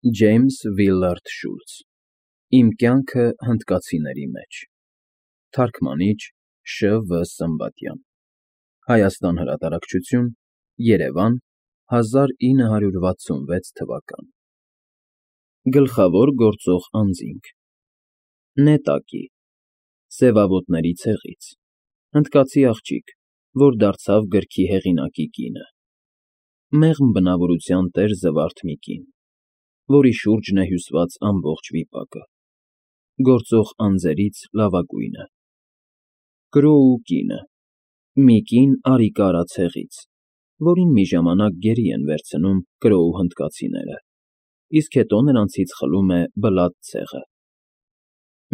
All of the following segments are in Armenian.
Ջեյմս Վիլարդ Շուլց Իմ կյանքը հնդկացիների մեջ Թարգմանիչ Շ.В. Սմբատյան Հայաստան հրատարակչություն Երևան 1966 թվական Գլխավոր գործող անձինք Նետակի Սևավոտների ցեղից Հնդկացի աղջիկ, որ դարձավ գրքի հեղինակի կինը Մեղմ բնավորության տեր զվարթ մի կին որի շուրջն է հյուսված ամբողջ վիպակը, գործող անձերից լավագույնը, Կրոու կինը, մի կին Արիկարա ցեղից, որին մի ժամանակ գերի են վերցնում Կրոու հնդկացիները, իսկ հետո նրանցից խլում է Բլադ ցեղը,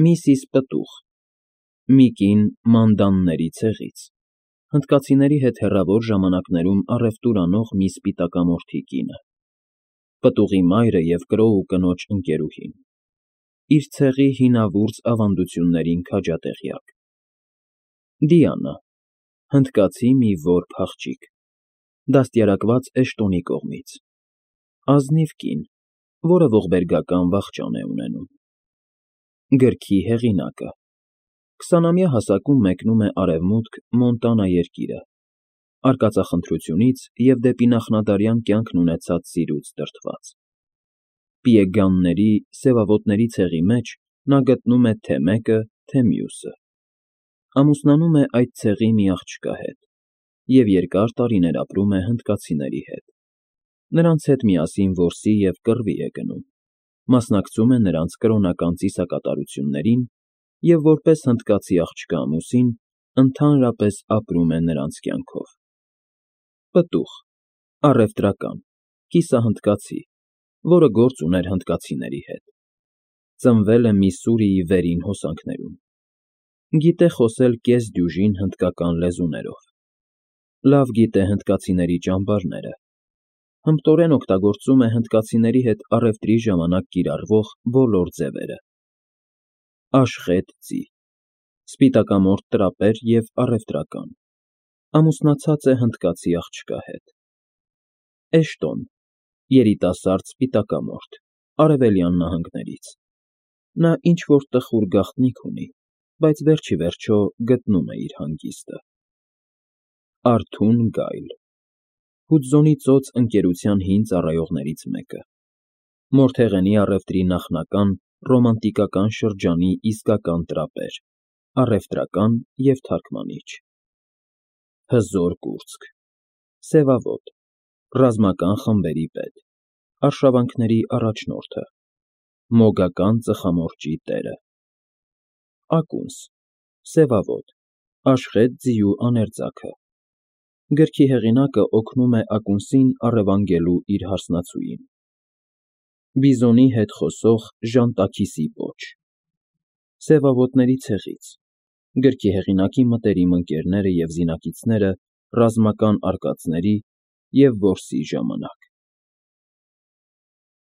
Միսիս Պտուղ, մի կին Մանդանների ցեղից, հնդկացիների հետ հեռավոր ժամանակներում առևտուր անող մի սպիտակամորթի կինը, Պտուղի մայրը և Կրոու կնոջ ընկերուհին, իր ցեղի հինավուրց ավանդություններին քաջատեղյակ, Դիանա, հնդկացի մի որբ աղջիկ, դաստիարակված Էշտոնի կողմից, ազնիվ կին, որը ողբերգական վախճան է ունենում, Գրքի հեղինակը, 20-ամյա հասակում մեկնում է արևմուտք Մոնտանա երկիրը, արկածախնդրությունից և դեպի նախնադարյան կյանքն ունեցած սիրուց դրդված, Պիեգանների, սևավոտների ցեղի մեջ նա գտնում է թե մեկը, թե մյուսը, ամուսնանում է այդ ցեղի մի աղջկա հետ և երկար տարիներ ապրում է հնդկացիների հետ, նրանց հետ միասին որսի և կռվի է գնում, մասնակցում է նրանց կրոնական ծիսակատարություններին և որպես հնդկացի աղջկա ամուսին ընդհանրապես ապրում է նրանց կյանքով, Պտուղ, առևտրական, կիսահնդկացի, որը գործ ուներ հնդկացիների հետ, ծնվել է Միսսուրիի վերին հոսանքներում, գիտե խոսել կես-դյուժին հնդկական լեզուներով, լավ գիտե հնդկացիների ճամբարները, հմտորեն օգտագործում է հնդկացիների հետ առևտրի ժամանակ կիրառվող բոլոր ձևերը, Աշխետ ծի, սպիտակամորթ տրապեր և առևտրական, ամուսնացած է հնդկացի աղջկա հետ, Էշտոն, երիտասարդ սպիտակամորթ, Արևելյան նահանգներից, նա ինչ֊որ տխուր գաղտնիք ունի, բայց վերջիվերջո գտնում է իր հանգիստը, Արթուն Գայլ, Հուդզոնի ծոծ ընկերության հին ծառայողներից մեկը, Մորթեղենի առևտրի նախնական ռոմանտիկական շրջանի իսկական տրապեր, առևտրական և թարգմանիչ, Հզոր կուրծք, սևավոտ, ռազմական խմբերի պետ, արշավանքների առաջնորդը, մոգական ծխամորճի տերը, Ակունս, սևավոտ, Աշխետ ձիու աներձագը, գրքի հեղինակը օգնում է Ակունսին առևանգելու իր հարսնացուին, Բիզոնի հետ խոսող Ժանտաքիսի պոչ, Սևավոտների ցեղից, գրքի հեղինակի մտերիմ ընկերները և զինակիցները ռազմական արկածների և որսի ժամանակ,